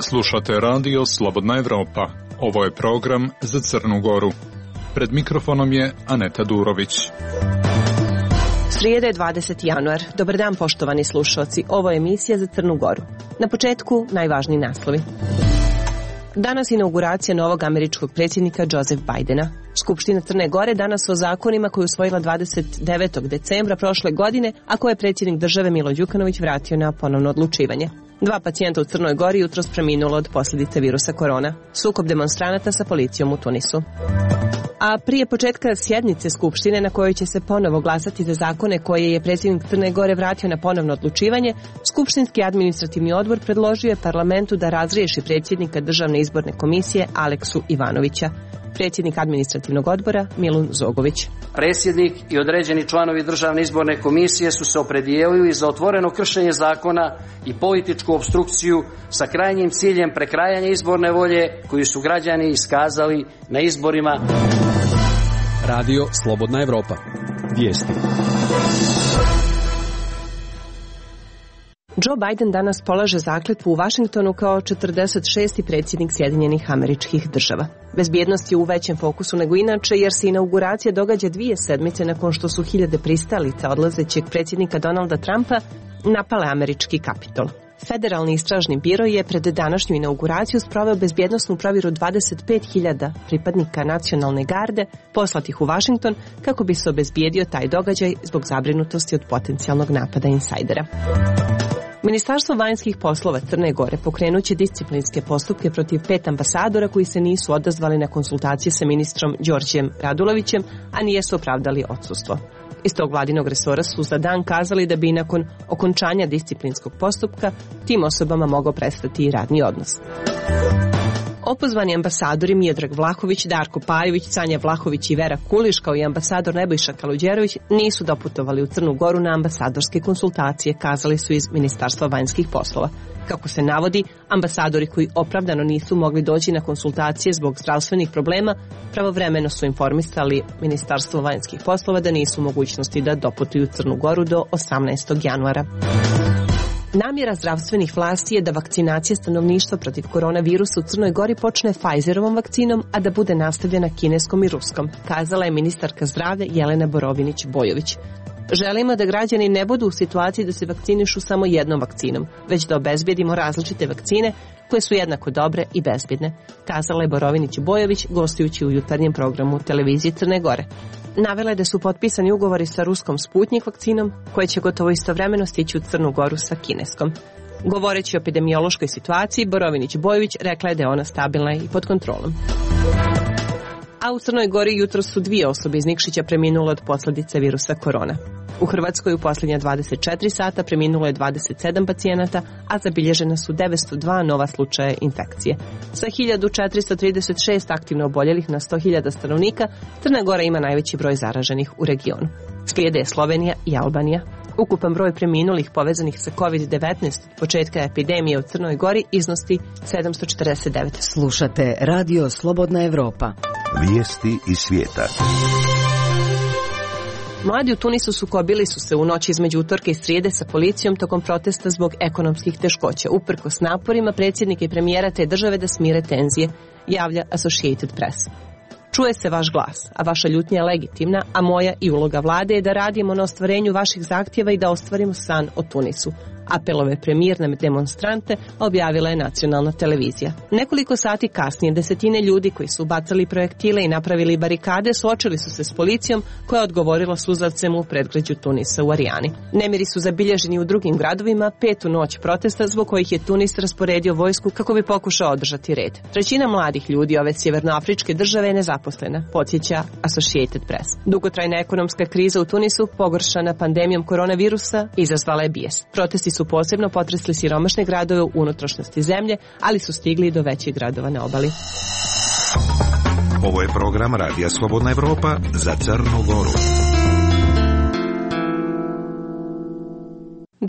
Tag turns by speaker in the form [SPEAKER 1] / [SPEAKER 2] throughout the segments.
[SPEAKER 1] Slušate radio Slobodna Evropa. Ovo je program za Crnu Goru. Pred mikrofonom je Aneta Durović.
[SPEAKER 2] Srijeda je 20. januar. Dobar dan, poštovani slušalci. Ovo je emisija za Crnu Goru. Na početku najvažniji naslovi. Danas inauguracija novog američkog predsjednika Joseph Bidena. Skupština Crne Gore danas o zakonima koju je usvojila 29. decembra prošle godine, a koje je predsjednik države Milo Đukanović vratio na ponovno odlučivanje. 2 pacijenta u Crnoj Gori jutros preminulo od posljedice virusa korona. Sukob demonstranata sa policijom u Tunisu. A prije početka sjednice Skupštine na kojoj će se ponovo glasati za zakone koje je predsjednik Crne Gore vratio na ponovno odlučivanje, Skupštinski administrativni odbor predložio je parlamentu da razriješi predsjednika Državne izborne komisije Aleksu Ivanovića. Predsjednik administrativnog odbora Milun Zogović.
[SPEAKER 3] Predsjednik i određeni članovi Državne izborne komisije su se opredijelili za otvoreno kršenje zakona i političku opstrukciju sa krajnjim ciljem prekrajanja izborne volje koju su građani iskazali na izborima.
[SPEAKER 4] Radio Slobodna Evropa. Vijesti.
[SPEAKER 2] Joe Biden danas polaže zakletvu u Vašingtonu kao 46. predsjednik Sjedinjenih Američkih Država. Bezbjednost je u većem fokusu nego inače jer se inauguracija događa 2 sedmice nakon što su hiljade pristalica odlazećeg predsjednika Donalda Trumpa napale američki Kapitol. Federalni istražni biro je pred današnju inauguraciju sproveo bezbjednosnu provjeru 25.000 pripadnika nacionalne garde poslatih u Vašington kako bi se obezbijedio taj događaj zbog zabrinutosti od potencijalnog napada insajdera. Ministarstvo vanjskih poslova Crne Gore pokrenut će disciplinske postupke protiv 5 ambasadora koji se nisu odazvali na konsultacije sa ministrom Đorđem Radulovićem, a nijesu opravdali odsustvo. Iz tog vladinog resora su za dan kazali da bi nakon okončanja disciplinskog postupka tim osobama mogao prestati i radni odnos. Opozvani ambasadori Miodrag Vlahović, Darko Pajović, Sanja Vlahović i Vera Kuliš kao i ambasador Nebojša Kaluđerović nisu doputovali u Crnu Goru na ambasadorske konsultacije, kazali su iz Ministarstva vanjskih poslova. Kako se navodi, ambasadori koji opravdano nisu mogli doći na konsultacije zbog zdravstvenih problema pravovremeno su informisali Ministarstvo vanjskih poslova da nisu u mogućnosti da doputuju u Crnu Goru do 18. januara. Namjera zdravstvenih vlasti je da vakcinacija stanovništva protiv koronavirusa u Crnoj Gori počne Pfizerovom vakcinom, a da bude nastavljena kineskom i ruskom, kazala je ministarka zdravlja Jelena Borovinić-Bojović. Želimo da građani ne budu u situaciji da se vakcinišu samo jednom vakcinom, već da obezbjedimo različite vakcine koje su jednako dobre i bezbjedne, kazala je Borovinić-Bojović gostujući u jutarnjem programu televizije Crne Gore. Navela je da su potpisani ugovori sa ruskom Sputnik vakcinom, koje će gotovo istovremeno stići u Crnu Goru sa kineskom. Govoreći o epidemiološkoj situaciji, Borovinić-Bojović rekla je da je ona stabilna i pod kontrolom. A u Crnoj Gori jutro su 2 osobe iz Nikšića preminule od posljedice virusa korona. U Hrvatskoj u posljednja 24 sata preminulo je 27 pacijenata, a zabilježena su 902 nova slučaja infekcije. Sa 1436 aktivno oboljelih na 100.000 stanovnika, Crna Gora ima najveći broj zaraženih u regionu. Slijede Slovenija i Albanija. Ukupan broj preminulih povezanih sa COVID-19 od početka epidemije u Crnoj Gori iznosi 749.
[SPEAKER 5] Slušate Radio Slobodna Evropa.
[SPEAKER 6] Vijesti iz svijeta.
[SPEAKER 2] Mladi u Tunisu sukobili su se u noći između utorka i srijede sa policijom tokom protesta zbog ekonomskih teškoća, uprkos naporima predsjednika i premijera te države da smire tenzije, javlja Associated Press. Čuje se vaš glas, a vaša ljutnja je legitimna, a moja i uloga vlade je da radimo na ostvarenju vaših zahtjeva i da ostvarimo san o Tunisu. Apelove premijer na demonstrante objavila je nacionalna televizija. Nekoliko sati kasnije desetine ljudi koji su bacali projektile i napravili barikade suočili su se s policijom koja je odgovorila suzavcem u predgrađu Tunisa u Arijani. Nemiri su zabilježeni u drugim gradovima 5. noć protesta zbog kojih je Tunis rasporedio vojsku kako bi pokušao održati red. 1/3 mladih ljudi ove sjevernoafričke države je nezaposlena, podsjeća Associated Press. Dugotrajna ekonomska kriza u Tunisu, pogoršana pandemijom koronavirusa, izazvala je bijes. Protesti su posebno potresli siromašne gradove u unutrašnjosti zemlje, ali su stigli i do većih gradova na obali.
[SPEAKER 6] Ovo je program Radija Slobodna Evropa za Crnu Goru.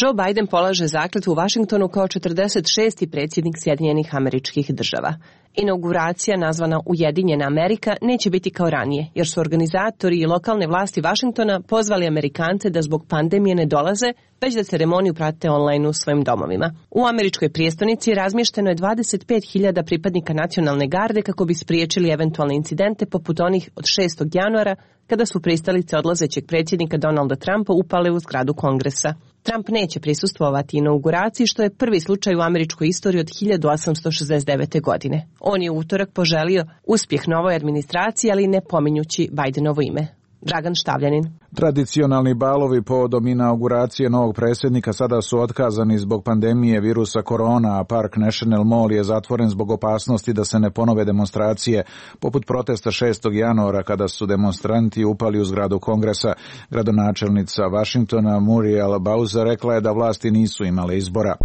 [SPEAKER 2] Joe Biden polaže zakletvu u Vašingtonu kao 46. predsjednik Sjedinjenih Američkih Država. Inauguracija, nazvana Ujedinjena Amerika, neće biti kao ranije, jer su organizatori i lokalne vlasti Vašingtona pozvali Amerikance da zbog pandemije ne dolaze, već da ceremoniju prate online u svojim domovima. U američkoj prijestolnici razmješteno je 25.000 pripadnika nacionalne garde kako bi spriječili eventualne incidente poput onih od 6. januara, kada su pristalice odlazećeg predsjednika Donalda Trumpa upale u zgradu Kongresa. Trump neće prisustvovati inauguraciji, što je prvi slučaj u američkoj istoriji od 1869. godine. On je u utorak poželio uspjeh novoj administraciji, ali ne pominjući Bidenovo ime. Dragan Štavljanin.
[SPEAKER 7] Tradicionalni balovi povodom inauguracije novog predsjednika sada su otkazani zbog pandemije virusa korona, a Park National Mall je zatvoren zbog opasnosti da se ne ponove demonstracije, poput protesta 6. januara kada su demonstranti upali u zgradu Kongresa. Gradonačelnica Vašingtona Muriel Bowser rekla je da vlasti nisu imale izbora.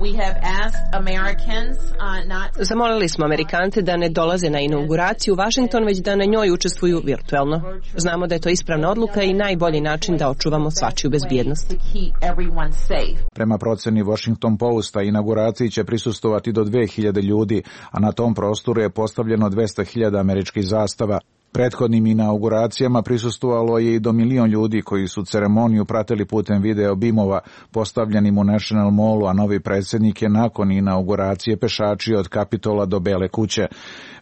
[SPEAKER 2] Zamolili smo Amerikance da ne dolaze na inauguraciju u Washington, već da na njoj učestvuju virtuelno. Znamo da je to ispravna odluka i najbolji način da očuvamo svačiju bezbjednost.
[SPEAKER 7] Prema proceni Washington Posta, inauguraciji će prisustvovati do 2000 ljudi, a na tom prostoru je postavljeno 200.000 američkih zastava. Prethodnim inauguracijama prisustvovalo je i do 1 milion ljudi koji su ceremoniju pratili putem video bimova postavljenim u National Mallu, a novi predsjednik je nakon inauguracije pešačio od Kapitola do Bele kuće.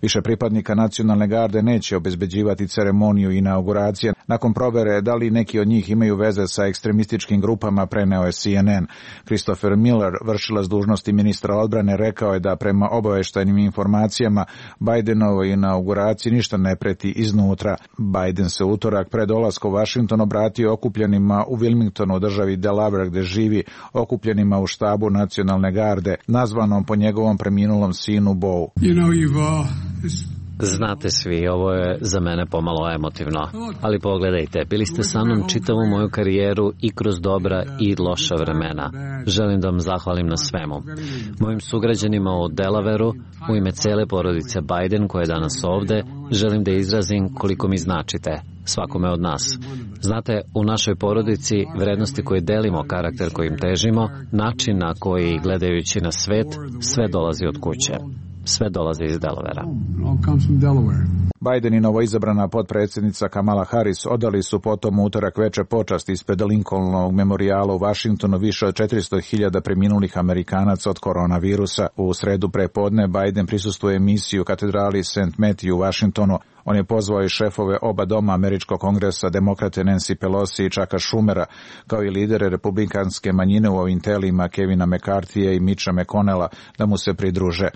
[SPEAKER 7] Više pripadnika nacionalne garde neće obezbeđivati ceremoniju inauguracije. Nakon provere da li neki od njih imaju veze sa ekstremističkim grupama, preneo je CNN. Christopher Miller, vršilac dužnosti ministra odbrane, rekao je da prema obavještajnim informacijama Bidenovoj inauguraciji ništa ne preti iznutra. Biden se utorak pred dolaskom u Washington obratio okupljenima u Wilmingtonu, državi Delaware gde živi, okupljenima u štabu nacionalne garde, nazvanom po njegovom preminulom sinu Beau.
[SPEAKER 8] Znate svi, ovo je za mene pomalo emotivno, ali pogledajte, bili ste sa mnom čitavu moju karijeru i kroz dobra i loša vremena. Želim da vam zahvalim na svemu. Mojim sugrađanima u Delawareu, u ime cele porodice Biden koja je danas ovde, želim da izrazim koliko mi značite, svakome od nas. Znate, u našoj porodici vrednosti koje delimo, karakter kojim težimo, način na koji gledajući na svet, sve dolazi od kuće. Sve dolazi iz Delavera.
[SPEAKER 7] Biden i novoizabrana potpredsjednica Kamala Harris odali su potom utorak veče počast ispred Lincolnovog memorijala u Washingtonu više od 400.000 preminulih Amerikanaca od koronavirusa. U sredu prepodne Biden prisustvuje emisiju u katedrali St. Matthew u Washingtonu. On je pozvao i šefove oba doma američkog kongresa, demokrate Nancy Pelosi i Chucka Schumera, kao i lidere republikanske manjine u ovim telima Kevina McCarthyja i Mitcha McConnella da mu se pridruže.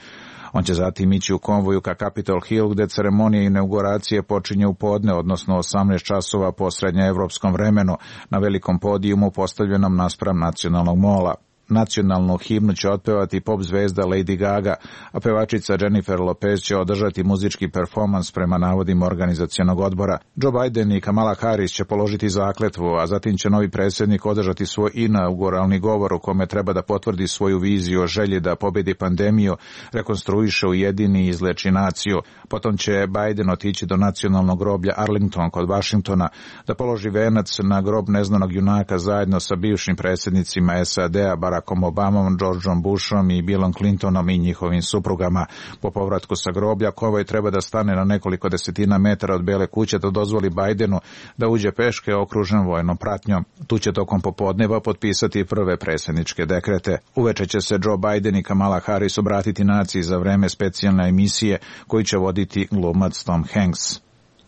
[SPEAKER 7] On će zatim ići u konvoju ka Capitol Hill, gde ceremonija inauguracije počinje u podne, odnosno 18 časova po srednjoevropskom vremenu, na velikom podijumu postavljenom naspram nacionalnog mola. Nacionalnu himnu će otpevati pop zvezda Lady Gaga, a pevačica Jennifer Lopez će održati muzički performans prema navodima organizacionog odbora. Joe Biden i Kamala Harris će položiti zakletvu, a zatim će novi predsjednik održati svoj inauguralni govor u kome treba da potvrdi svoju viziju o želji da pobedi pandemiju, rekonstruiše, ujedini i izleči naciju. Potom će Biden otići do nacionalnog groblja Arlington kod Washingtona da položi venac na grob neznanog junaka zajedno sa bivšim predsjednicima SAD-a Barackom Obamom, Georgeom Bushom i Billom Clintonom i njihovim suprugama. Po povratku sa groblja konvoj treba da stane na nekoliko desetina metara od Bele kuće da dozvoli Bidenu da uđe peške okružen vojnom pratnjom. Tu će tokom popodneva potpisati prve predsjedničke dekrete. Uveče će se Joe Biden i Kamala Harris obratiti naciji za vreme specijalne emisije koju će voditi glumac Tom Hanks.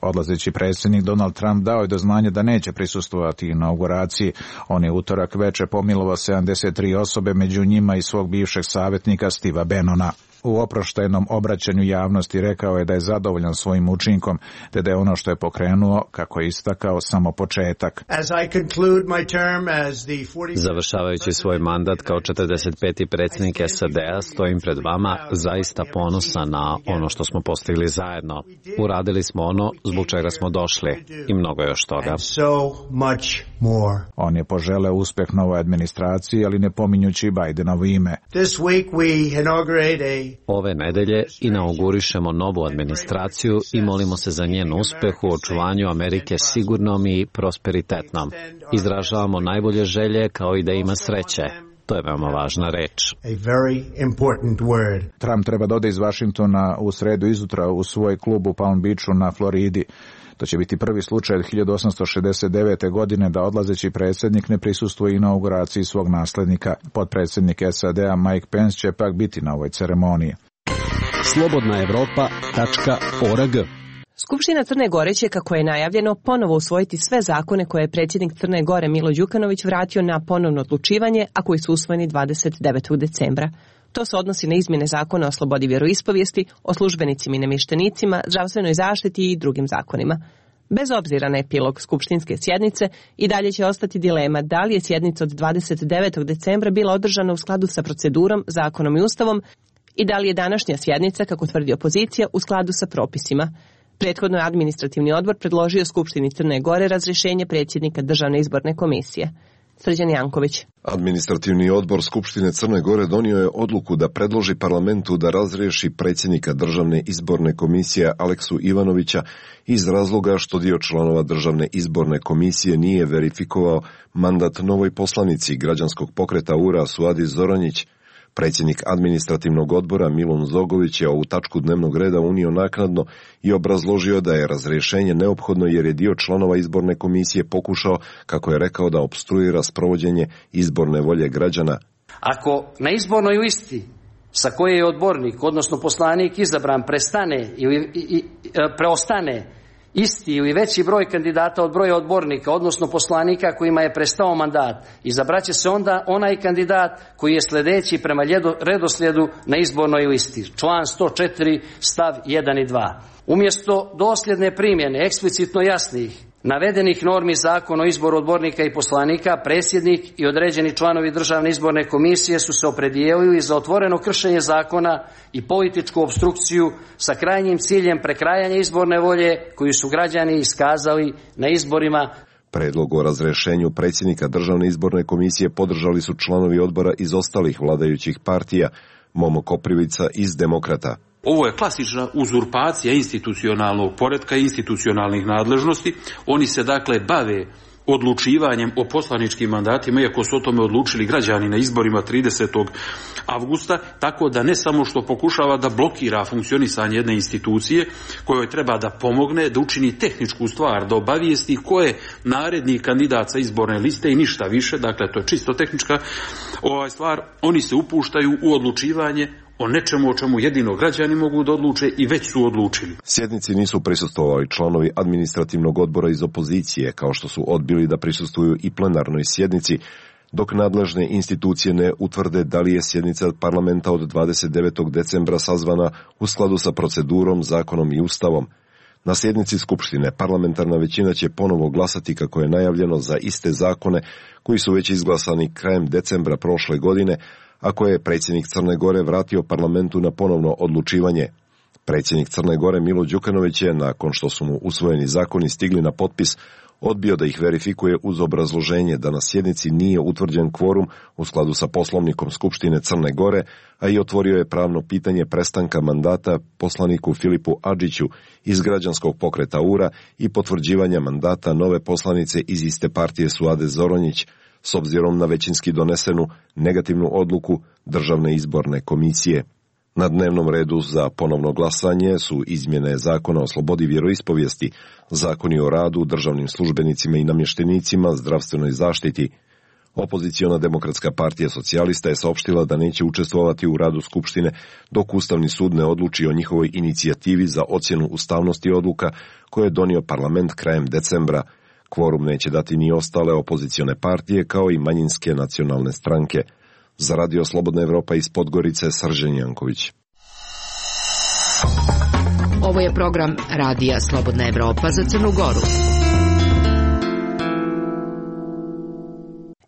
[SPEAKER 7] Odlazeći predsjednik Donald Trump dao je do znanja da neće prisustvovati inauguraciji. On je utorak veče pomilovao 73 osobe, među njima i svog bivšeg savjetnika Steva Bannona. U oproštajnom obraćanju javnosti rekao je da je zadovoljan svojim učinkom, te da je ono što je pokrenuo, kako je istakao, samo početak.
[SPEAKER 8] Završavajući svoj mandat kao 45. predsjednik SAD-a, stojim pred vama zaista ponosan na ono što smo postigli zajedno. Uradili smo ono zbog čega smo došli i mnogo još toga.
[SPEAKER 7] On je poželeo uspeh novoj administraciji, ali ne pominjući Bidenovo ime.
[SPEAKER 8] Ove nedelje inaugurišemo novu administraciju i molimo se za njen uspeh u očuvanju Amerike sigurnom i prosperitetnom. Izražavamo najbolje želje kao i da ima sreće. To je veoma važna reč.
[SPEAKER 7] Trump treba da ode iz Vašingtona u sredu izutra u svoj klub u Palm Beachu na Floridi. To će biti prvi slučaj od 1869. godine da odlazeći predsjednik ne prisustvuje inauguraciji svog naslednika. Potpredsjednik SAD-a Mike Pence će pak biti na ovoj ceremoniji.
[SPEAKER 4] slobodnaevropa.org.
[SPEAKER 2] Skupština Crne Gore će, kako je najavljeno, ponovo usvojiti sve zakone koje je predsjednik Crne Gore Milo Đukanović vratio na ponovno odlučivanje, a koji su usvojeni 29. decembra. To se odnosi na izmjene zakona o slobodi vjeroispovijesti, o službenicima i namještenicima, zdravstvenoj zaštiti i drugim zakonima. Bez obzira na epilog skupštinske sjednice, i dalje će ostati dilema da li je sjednica od 29. decembra bila održana u skladu sa procedurom, zakonom i ustavom i da li je današnja sjednica, kako tvrdi opozicija, u skladu sa propisima. Prethodno je administrativni odbor predložio Skupštini Crne Gore razrješenje predsjednika Državne izborne komisije. Srđan Janković.
[SPEAKER 9] Administrativni odbor Skupštine Crne Gore donio je odluku da predloži parlamentu da razriješi predsjednika Državne izborne komisije Aleksu Ivanovića iz razloga što dio članova Državne izborne komisije nije verifikovao mandat novoj poslanici građanskog pokreta URA Suadi Zoranjić. Predsjednik administrativnog odbora Milun Zogović je ovu tačku dnevnog reda unio naknadno i obrazložio da je razrješenje neophodno jer je dio članova izborne komisije pokušao, kako je rekao, da opstruira sprovođenje izborne volje građana.
[SPEAKER 3] Ako na izbornoj listi sa koje je odbornik, odnosno poslanik izabran, preostane isti ili veći broj kandidata od broja odbornika, odnosno poslanika kojima je prestao mandat, izabraće se onda onaj kandidat koji je sljedeći prema redoslijedu na izbornoj listi. Član 104 stav 1 i 2. Umjesto dosljedne primjene eksplicitno jasnih navedenih normi Zakona o izboru odbornika i poslanika, predsjednik i određeni članovi Državne izborne komisije su se opredijelili za otvoreno kršenje zakona i političku opstrukciju sa krajnjim ciljem prekrajanja izborne volje koju su građani iskazali na izborima.
[SPEAKER 9] Predlog o razrješenju predsjednika Državne izborne komisije podržali su članovi odbora iz ostalih vladajućih partija, Momo Koprivica iz Demokrata.
[SPEAKER 10] Ovo je klasična uzurpacija institucionalnog poretka i institucionalnih nadležnosti. Oni se dakle bave odlučivanjem o poslaničkim mandatima, iako su o tome odlučili građani na izborima 30. avgusta, tako da ne samo što pokušava da blokira funkcionisanje jedne institucije kojoj treba da pomogne, da učini tehničku stvar, da obavijesti ko je naredni kandidat sa izborne liste i ništa više, dakle to je čisto tehnička stvar, oni se upuštaju u odlučivanje o nečemu o čemu jedino građani mogu da odluče i već su odlučili.
[SPEAKER 9] Sjednici nisu prisustvovali članovi administrativnog odbora iz opozicije, kao što su odbili da prisustvuju i plenarnoj sjednici, dok nadležne institucije ne utvrde da li je sjednica parlamenta od 29. decembra sazvana u skladu sa procedurom, zakonom i ustavom. Na sjednici Skupštine parlamentarna većina će ponovo glasati, kako je najavljeno, za iste zakone koji su već izglasani krajem decembra prošle godine, a koje je predsjednik Crne Gore vratio parlamentu na ponovno odlučivanje. Predsjednik Crne Gore Milo Đukanović je, nakon što su mu usvojeni zakoni stigli na potpis, odbio da ih verifikuje uz obrazloženje da na sjednici nije utvrđen kvorum u skladu sa poslovnikom Skupštine Crne Gore, a i otvorio je pravno pitanje prestanka mandata poslaniku Filipu Adžiću iz građanskog pokreta URA i potvrđivanja mandata nove poslanice iz iste partije Suade Zoranjić, s obzirom na većinski donesenu negativnu odluku Državne izborne komisije. Na dnevnom redu za ponovno glasanje su izmjene Zakona o slobodi vjeroispovijesti, zakoni o radu, državnim službenicima i namještenicima, zdravstvenoj zaštiti. Opoziciona Demokratska partija socijalista je saopštila da neće učestvovati u radu Skupštine dok Ustavni sud ne odluči o njihovoj inicijativi za ocjenu ustavnosti odluka koje je donio parlament krajem decembra. Kvorum neće dati ni ostale opozicione partije kao i manjinske nacionalne stranke. Za Radio Slobodna Evropa iz Podgorice, Srđan Janković.
[SPEAKER 5] Ovo je program Radija Slobodna Evropa za Crnu Goru.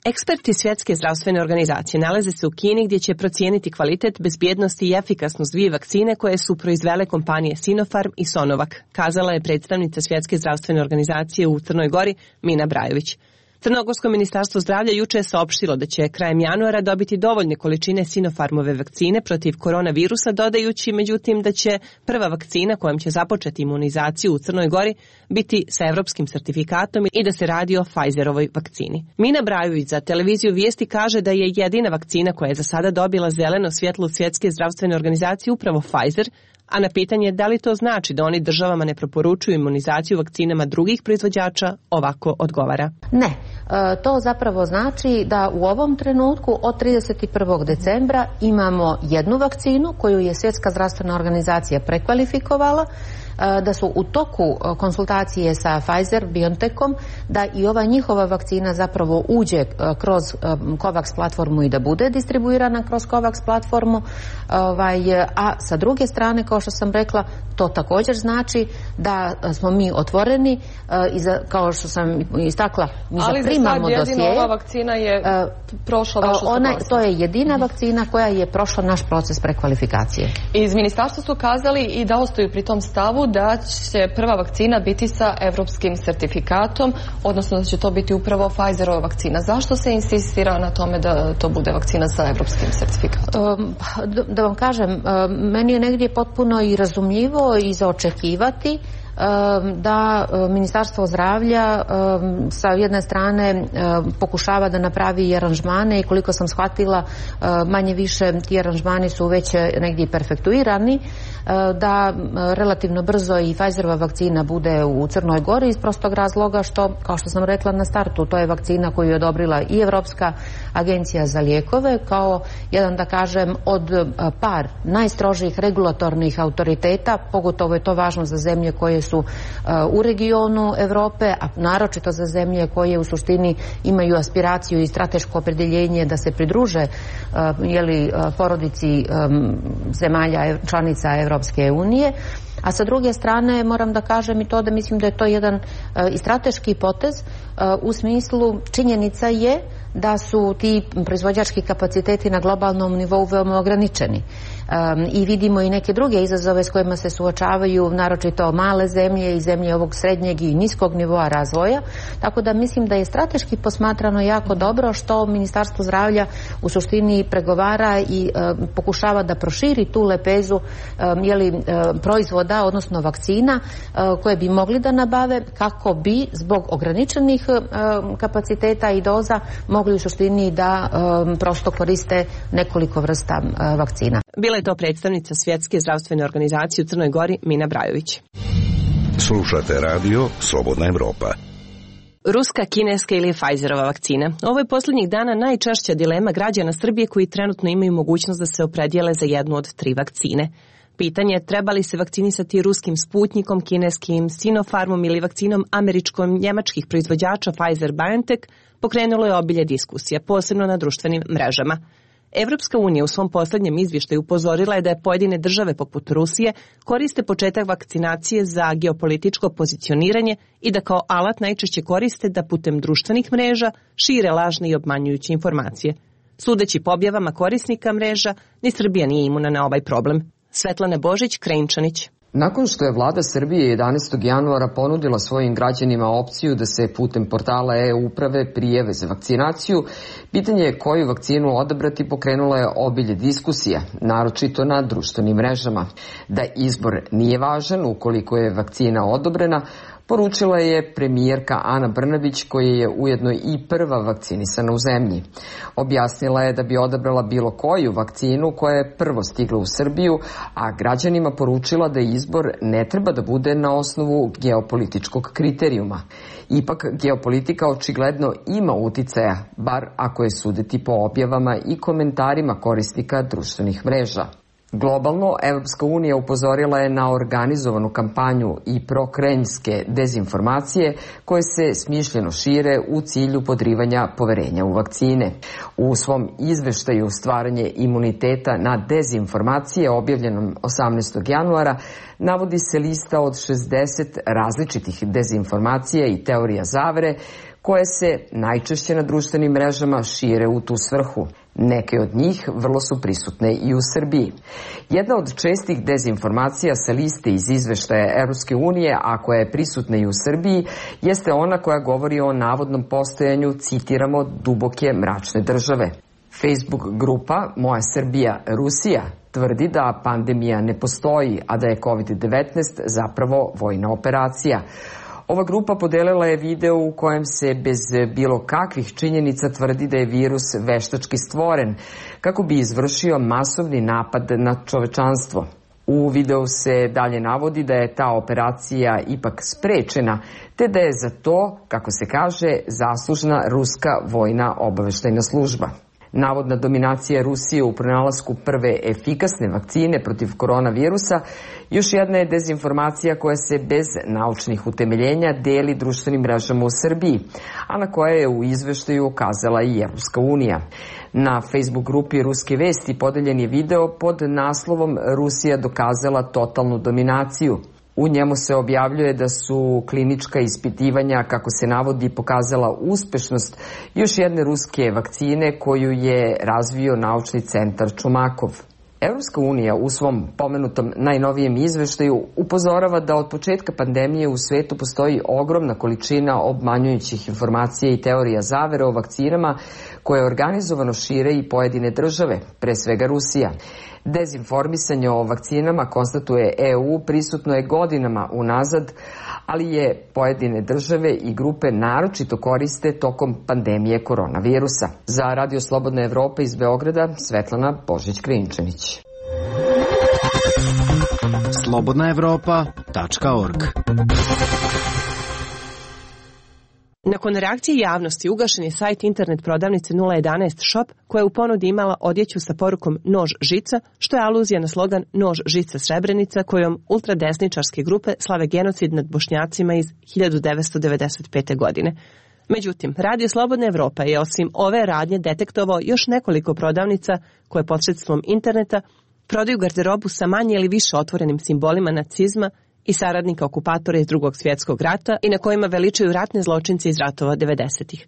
[SPEAKER 2] Eksperti Svjetske zdravstvene organizacije nalaze se u Kini gdje će procijeniti kvalitet, bezbjednost i efikasnost dvije vakcine koje su proizvele kompanije Sinopharm i Sonovak, kazala je predstavnica Svjetske zdravstvene organizacije u Crnoj Gori Mina Brajović. Crnogorsko ministarstvo zdravlja juče je saopštilo da će krajem januara dobiti dovoljne količine Sinopharmove vakcine protiv koronavirusa, dodajući međutim da će prva vakcina kojom će započeti imunizaciju u Crnoj Gori biti sa evropskim sertifikatom i da se radi o Pfizerovoj vakcini. Mina Brajović za televiziju Vijesti kaže da je jedina vakcina koja je za sada dobila zeleno svjetlo Svjetske zdravstvene organizacije upravo Pfizer, a na pitanje da li to znači da oni državama ne preporučuju imunizaciju vakcinama drugih proizvođača, ovako odgovara.
[SPEAKER 11] Ne, to zapravo znači da u ovom trenutku od 31. decembra imamo jednu vakcinu koju je Svjetska zdravstvena organizacija prekvalifikovala, da su u toku konsultacije sa Pfizer-BioNTechom da i ova njihova vakcina zapravo uđe kroz COVAX platformu i da bude distribuirana kroz COVAX platformu, a sa druge strane, kao što sam rekla, to također znači da smo mi otvoreni i kao što sam istakla, mi zaprimamo dosije.
[SPEAKER 12] Ali za sad jedina ova vakcina je prošla vašu suglasnost.
[SPEAKER 11] To je jedina vakcina koja je prošla naš proces prekvalifikacije.
[SPEAKER 12] Iz ministarstva su kazali i da ostaju pri tom stavu da će prva vakcina biti sa evropskim sertifikatom, odnosno da će to biti upravo Pfizerova vakcina. Zašto se insistira na tome da to bude vakcina sa evropskim sertifikatom?
[SPEAKER 11] Da vam kažem, meni je negdje potpuno i razumljivo i za očekivati da Ministarstvo zdravlja sa jedne strane pokušava da napravi i aranžmane i koliko sam shvatila manje više ti aranžmani su već negdje perfektuirani, da relativno brzo i Pfizerova vakcina bude u Crnoj Gori iz prostog razloga što, kao što sam rekla na startu, to je vakcina koju je odobrila i Evropska agencija za lijekove kao jedan, da kažem, od par najstrožijih regulatornih autoriteta, pogotovo je to važno za zemlje koje su u regionu Europe, a naročito za zemlje koje u suštini imaju aspiraciju i strateško opredjeljenje da se pridruže porodici zemalja članica Europske unije. A sa druge strane moram da kažem i to da mislim da je to jedan i strateški potez u smislu činjenica je da su ti proizvođački kapaciteti na globalnom nivou veoma ograničeni. I vidimo i neke druge izazove s kojima se suočavaju naročito male zemlje i zemlje ovog srednjeg i niskog nivoa razvoja. Tako da mislim da je strateški posmatrano jako dobro što Ministarstvo zdravlja u suštini pregovara i pokušava da proširi tu lepezu proizvoda, odnosno vakcina koje bi mogli da nabave kako bi zbog ograničenih kapaciteta i doza mogli u suštini da prosto koriste nekoliko vrsta vakcina.
[SPEAKER 2] Bila je to predstavnica Svjetske zdravstvene organizacije u Crnoj Gori, Mina Brajović.
[SPEAKER 6] Slušate radio Slobodna Evropa.
[SPEAKER 2] Ruska, kineska ili Pfizerova vakcina. Ovo je posljednjih dana najčešća dilema građana Srbije koji trenutno imaju mogućnost da se opredijele za jednu od tri vakcine. Pitanje je treba li se vakcinisati ruskim Sputnikom, kineskim Sinopharmom ili vakcinom američko-njemačkih proizvođača Pfizer-BioNTech pokrenulo je obilje diskusija, posebno na društvenim mrežama. Evropska unija u svom posljednjem izvještaju upozorila je da je pojedine države poput Rusije koriste početak vakcinacije za geopolitičko pozicioniranje i da kao alat najčešće koriste da putem društvenih mreža šire lažne i obmanjujuće informacije. Sudeći po objavama korisnika mreža, ni Srbija nije imuna na ovaj problem. Svetlana Božić, Krajinčanić.
[SPEAKER 13] Nakon što je vlada Srbije 11. januara ponudila svojim građanima opciju da se putem portala e-uprave prijave za vakcinaciju, pitanje je koju vakcinu odabrati pokrenulo je obilje diskusija, naročito na društvenim mrežama. Da izbor nije važan ukoliko je vakcina odobrena, poručila je premijerka Ana Brnabić koja je ujedno i prva vakcinisana u zemlji. Objasnila je da bi odabrala bilo koju vakcinu koja je prvo stigla u Srbiju, a građanima poručila da izbor ne treba da bude na osnovu geopolitičkog kriterijuma. Ipak geopolitika očigledno ima uticaja, bar ako je suditi po objavama i komentarima korisnika društvenih mreža. Globalno, Evropska unija upozorila je na organizovanu kampanju i prokremljske dezinformacije koje se smišljeno šire u cilju podrivanja poverenja u vakcine. U svom izveštaju Stvaranje imuniteta na dezinformacije objavljenom 18. januara navodi se lista od 60 različitih dezinformacija i teorija zavere koje se najčešće na društvenim mrežama šire u tu svrhu. Neke od njih vrlo su prisutne i u Srbiji. Jedna od čestih dezinformacija sa liste iz izveštaja Evropske unije, a koja je prisutna i u Srbiji, jeste ona koja govori o navodnom postojanju, citiramo, duboke mračne države. Facebook grupa Moja Srbija, Rusija tvrdi da pandemija ne postoji, a da je COVID-19 zapravo vojna operacija. Ova grupa podelila je video u kojem se bez bilo kakvih činjenica tvrdi da je virus veštački stvoren kako bi izvršio masovni napad na čovečanstvo. U videu se dalje navodi da je ta operacija ipak sprečena, te da je za to, kako se kaže, zaslužna ruska vojna obaveštajna služba. Navodna dominacija Rusije u pronalasku prve efikasne vakcine protiv koronavirusa još jedna je dezinformacija koja se bez naučnih utemeljenja deli društvenim mrežama u Srbiji, a na koje je u izveštaju ukazala i Evropska unija. Na Facebook grupi Ruske vesti podeljen je video pod naslovom Rusija dokazala totalnu dominaciju. U njemu se objavljuje da su klinička ispitivanja, kako se navodi, pokazala uspešnost još jedne ruske vakcine koju je razvio naučni centar Čumakov. Evropska unija u svom pomenutom najnovijem izveštaju upozorava da od početka pandemije u svetu postoji ogromna količina obmanjujućih informacija i teorija zavere o vakcinama koje organizovano šire i pojedine države, pre svega Rusija. Dezinformisanje o vakcinama, konstatuje EU, prisutno je godinama unazad, ali je pojedine države i grupe naročito koriste tokom pandemije koronavirusa. Za Radio Slobodna Evropa iz Beograda, Svetlana Božić-Krinčanić.
[SPEAKER 14] slobodnaevropa.org.
[SPEAKER 2] Nakon reakcije javnosti ugašen je sajt internet prodavnice 011 Shop koja je u ponudi imala odjeću sa porukom Nož žica, što je aluzija na slogan Nož žica Srebrenica kojom ultradesničarske grupe slave genocid nad Bošnjacima iz 1995. godine. Međutim, Radio Slobodna Evropa je osim ove radnje detektovao još nekoliko prodavnica koje posredstvom interneta prodaju garderobu sa manje ili više otvorenim simbolima nacizma i saradnika okupatora iz Drugog svjetskog rata i na kojima veličaju ratne zločince iz ratova 90-ih.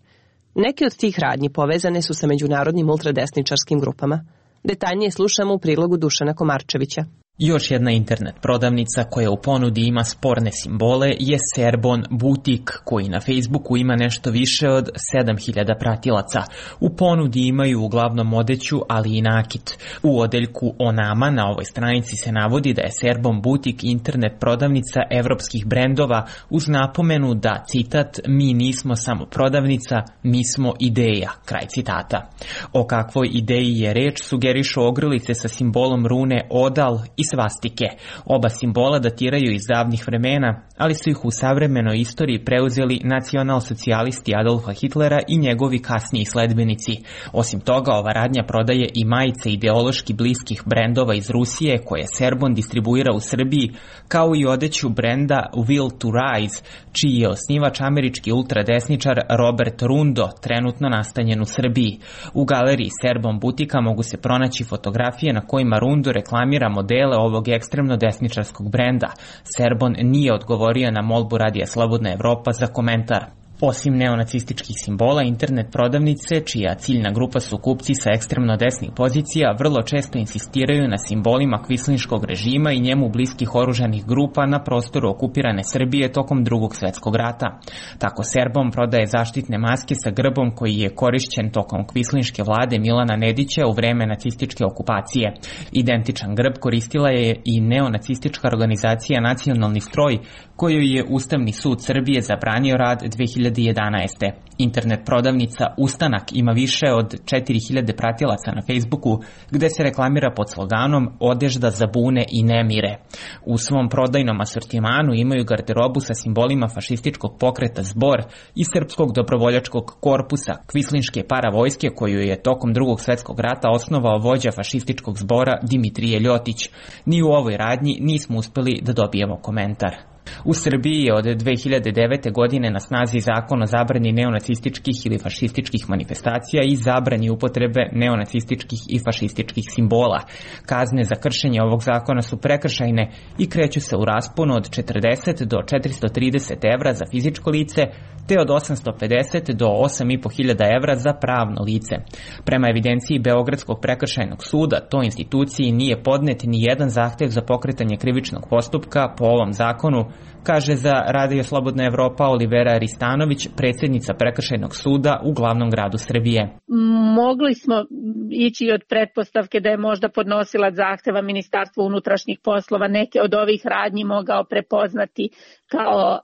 [SPEAKER 2] Neke od tih radnji povezane su sa međunarodnim ultradesničarskim grupama. Detaljnije slušamo u prilogu Dušana Komarčevića.
[SPEAKER 15] Još jedna internet prodavnica koja u ponudi ima sporne simbole je Serbon Butik, koji na Facebooku ima nešto više od 7000 pratilaca. U ponudi imaju uglavnom odeću, ali i nakit. U odeljku o nama na ovoj stranici se navodi da je Serbon Butik internet prodavnica evropskih brendova uz napomenu da, citat, mi nismo samo prodavnica, mi smo ideja, kraj citata. O kakvoj ideji je reč sugerišu ogrlice sa simbolom rune Odal i svastike. Oba simbola datiraju iz davnih vremena, ali su ih u savremenoj istoriji preuzeli nacionalsocijalisti Adolfa Hitlera i njegovi kasniji sledbenici. Osim toga, ova radnja prodaje i majice ideološki bliskih brendova iz Rusije koje Serbon distribuira u Srbiji, kao i odeću brenda Will to Rise, čiji je osnivač američki ultradesničar Robert Rundo, trenutno nastanjen u Srbiji. U galeriji Serbon Butika mogu se pronaći fotografije na kojima Rundo reklamira modele ovog ekstremno desničarskog brenda. Serbon nije odgovorio na molbu Radija Slobodna Evropa za komentar. Osim neonacističkih simbola, internet prodavnice, čija ciljna grupa su kupci sa ekstremno desnih pozicija, vrlo često insistiraju na simbolima kvislinškog režima i njemu bliskih oružanih grupa na prostoru okupirane Srbije tokom Drugog svjetskog rata. Tako Serbon prodaje zaštitne maske sa grbom koji je korišćen tokom kvislinške vlade Milana Nedića u vreme nacističke okupacije. Identičan grb koristila je i neonacistička organizacija Nacionalni stroj, kojoj je Ustavni sud Srbije zabranio rad 2011. Internet prodavnica Ustanak ima više od 4000 pratilaca na Facebooku, gde se reklamira pod sloganom Odežda za bune i nemire. U svom prodajnom asortimanu imaju garderobu sa simbolima fašističkog pokreta Zbor i Srpskog dobrovoljačkog korpusa, kvislinške paravojske koju je tokom Drugog svjetskog rata osnovao vođa fašističkog zbora Dimitrije Ljotić. Ni u ovoj radnji nismo uspeli da dobijemo komentar. U Srbiji je od 2009. godine na snazi zakon o zabrani neonacističkih ili fašističkih manifestacija i zabrani upotrebe neonacističkih i fašističkih simbola. Kazne za kršenje ovog zakona su prekršajne i kreću se u rasponu od 40 do 430 evra za fizičko lice, te od 850 do 8.500 evra za pravno lice. Prema evidenciji Beogradskog prekršajnog suda, toj instituciji nije podnet ni jedan zahtev za pokretanje krivičnog postupka po ovom zakonu, kaže za Radio Slobodna Evropa Olivera Ristanović, predsjednica prekršajnog suda u glavnom gradu Srbije.
[SPEAKER 14] Mogli smo ići od pretpostavke da je možda podnosilac zahteva Ministarstvo unutrašnjih poslova neke od ovih radnji mogao prepoznati kao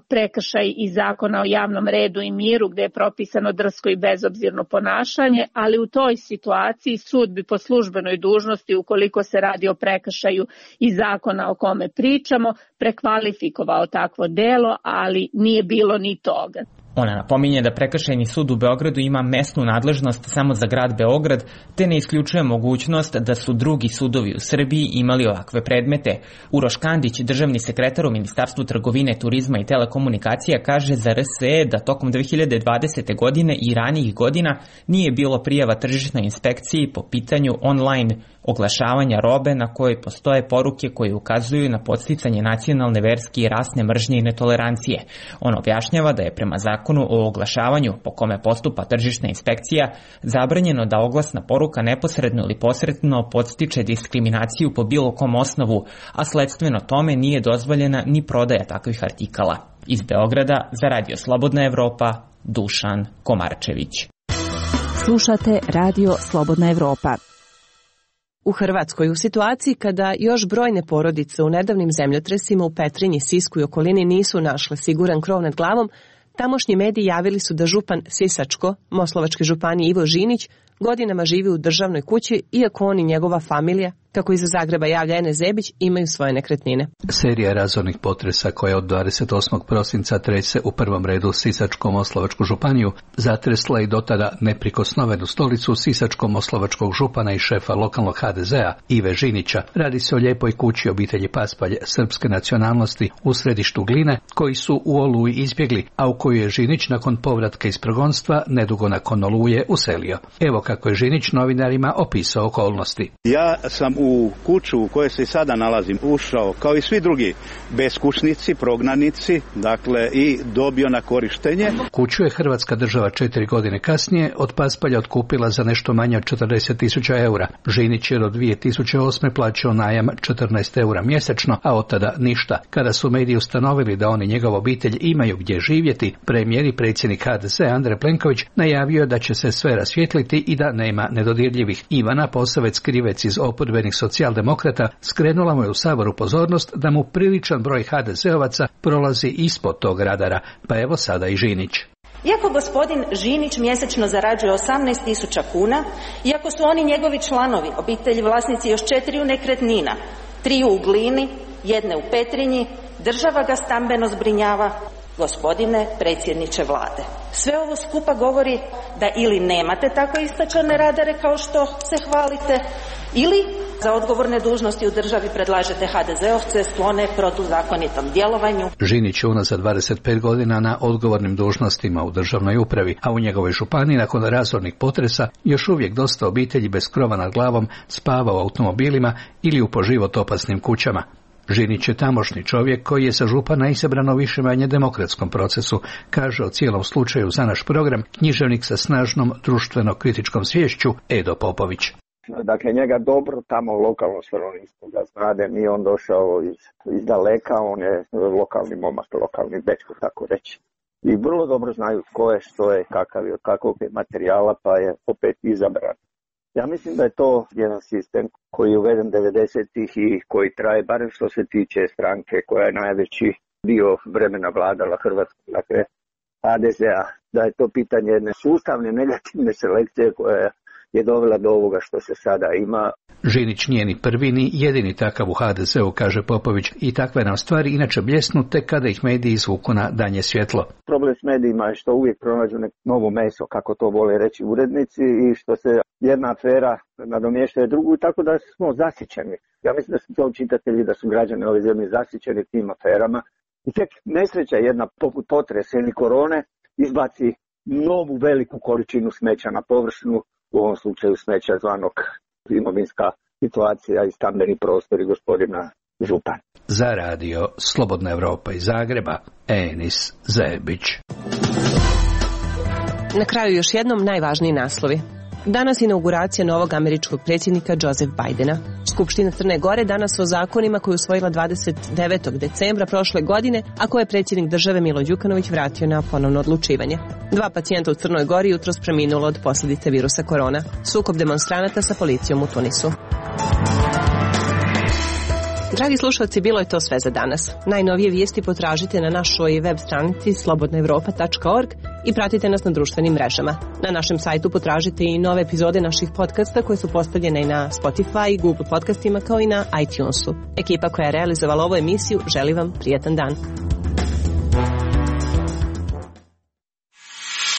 [SPEAKER 14] prekršaj iz zakona o javnom redu i miru, gde je propisano drsko i bezobzirno ponašanje, ali u toj situaciji sud bi po službenoj dužnosti, ukoliko se radi o prekršaju iz zakona o kome pričamo, prekvalifikovao takvo delo, ali nije bilo ni toga.
[SPEAKER 15] Ona napominje da prekršajni sud u Beogradu ima mesnu nadležnost samo za grad Beograd, te ne isključuje mogućnost da su drugi sudovi u Srbiji imali ovakve predmete. Uroš Kandić, državni sekretar u Ministarstvu trgovine, turizma i telekomunikacija, kaže za RSE da tokom 2020. godine i ranijih godina nije bilo prijava tržišnoj inspekciji po pitanju online oglašavanja robe na kojoj postoje poruke koje ukazuju na podsticanje nacionalne, verske i rasne mržnje i netolerancije. On objašnjava da je prema zakonu o oglašavanju po kome postupa tržišna inspekcija zabranjeno da oglasna poruka neposredno ili posredno podstiče diskriminaciju po bilo kom osnovu, a sledstveno tome nije dozvoljena ni prodaja takvih artikala. Iz Beograda za Radio Slobodna Evropa, Dušan Komarčević.
[SPEAKER 16] Slušate Radio Slobodna Evropa.
[SPEAKER 2] U Hrvatskoj, u situaciji kada još brojne porodice u nedavnim zemljotresima u Petrinji, Sisku i okolini nisu našle siguran krov nad glavom, tamošnji mediji javili su da župan Sisačko-Moslavačke županije Ivo Žinić godinama živi u državnoj kući, iako on i njegova familija, kako iza Zagreba javlja Enes Zebić, imaju svoje nekretnine.
[SPEAKER 17] Serija razornih potresa koja od 28. prosinca trese u prvom redu Sisačko-Moslavačku županiju zatresla i dotada neprikosnovenu stolicu Sisačko-Moslavačkog župana i šefa lokalnog HDZ-a Ive Žinića. Radi se o lijepoj kući obitelji Paspalj srpske nacionalnosti u središtu Gline, koji su u Oluji izbjegli, a u koju je Žinić nakon povratka iz progonstva nedugo nakon Oluje uselio. Evo kako je Žinić novinarima opisao okolnosti.
[SPEAKER 18] Ja sam u kuću u kojoj se i sada nalazim ušao, kao i svi drugi beskućnici, prognanici, dakle i dobio na korištenje.
[SPEAKER 17] Kuću je Hrvatska država 4 godine kasnije od Paspalja otkupila za nešto manje od 40.000 eura. Žinić je do 2008. plaćao najam 14 eura mjesečno, a od tada ništa. Kada su mediji ustanovili da on i njegova obitelj imaju gdje živjeti, premijer i predsjednik HDZ Andrej Plenković najavio da će se sve rasvijetliti i da nema nedodirljivih. Ivana Posavec Krivec iz oporbenih socijaldemokrata skrenula mu je u Saboru pozornost da mu priličan broj HDZ-ovaca prolazi ispod tog radara, pa evo sada i Žinić.
[SPEAKER 19] Iako gospodin Žinić mjesečno zarađuje 18.000 kuna, iako su oni njegovi članovi, obitelji vlasnici još 4 nekretnina, 3 u Glini, 1 u Petrinji, država ga stambeno zbrinjava, gospodine predsjedniče vlade. Sve ovo skupa govori da ili nemate tako istačane radare kao što se hvalite, ili za odgovorne dužnosti u državi predlažete HDZ-ovce sklone protuzakonitom djelovanju.
[SPEAKER 17] Žinić je unazad 25 godina na odgovornim dužnostima u državnoj upravi, a u njegovoj županiji nakon razornih potresa još uvijek dosta obitelji bez krova nad glavom spava u automobilima ili u po život opasnim kućama. Žinić je tamošnji čovjek koji je sa župana izabrano više-manje demokratskom procesu, kaže o cijelom slučaju za naš program književnik sa snažnom društveno-kritičkom sviješću Edo Popović.
[SPEAKER 20] Dakle, njega dobro tamo lokalno stanovništvo ga znade, nije on došao iz daleka, on je lokalni momak, lokalni dečko, tako reći. I vrlo dobro znaju tko je, što je, kakav je, od kakvog je materijala, pa je opet izabran. Ja mislim da je to jedan sistem koji je uveden 90-ih i koji traje, barem što se tiče stranke koja je najveći dio vremena vladala Hrvatskom, dakle HDZ-a, da je to pitanje jedne sustavne negativne selekcije koja je dovela do ovoga što se sada ima.
[SPEAKER 17] Žinić nije ni prvi ni jedini takav u HDZ-u, kaže Popović, i takve nam stvari inače bljesnu tek kada ih mediji izvuku na danje svjetlo.
[SPEAKER 20] Problem s medijima je što uvijek pronađu neko novo meso, kako to vole reći urednici, i što se jedna afera nadomještuje drugu, tako da smo zasićeni. Ja mislim da su to čitatelji, da su građani ove zemlje zasićeni tim aferama I tek nesreća jedna poput potresa ili korone izbaci novu veliku količinu smeća na površinu, u ovom slučaju smeća zvanog imovinska situacija i stambeni prostori gospodina župana.
[SPEAKER 17] Za radio Slobodna Evropa iz Zagreba, Enis Zebić.
[SPEAKER 2] Na kraju još jednom najvažniji naslovi. Danas inauguracija novog američkog predsjednika Joseph Bidena. Skupština Crne Gore danas o zakonima koju je usvojila 29. decembra prošle godine, a koje je predsjednik države Milo Đukanović vratio na ponovno odlučivanje. 2 pacijenta u Crnoj Gori jutros preminulo od posljedice virusa korona. Sukob demonstranata sa policijom u Tunisu. Dragi slušalci, bilo je to sve za danas. Najnovije vijesti potražite na našoj web stranici slobodnaevropa.org i pratite nas na društvenim mrežama. Na našem sajtu potražite i nove epizode naših podcasta koje su postavljene i na Spotify, Google podcastima kao i na iTunesu. Ekipa koja je realizovala ovu emisiju želi vam prijatan dan.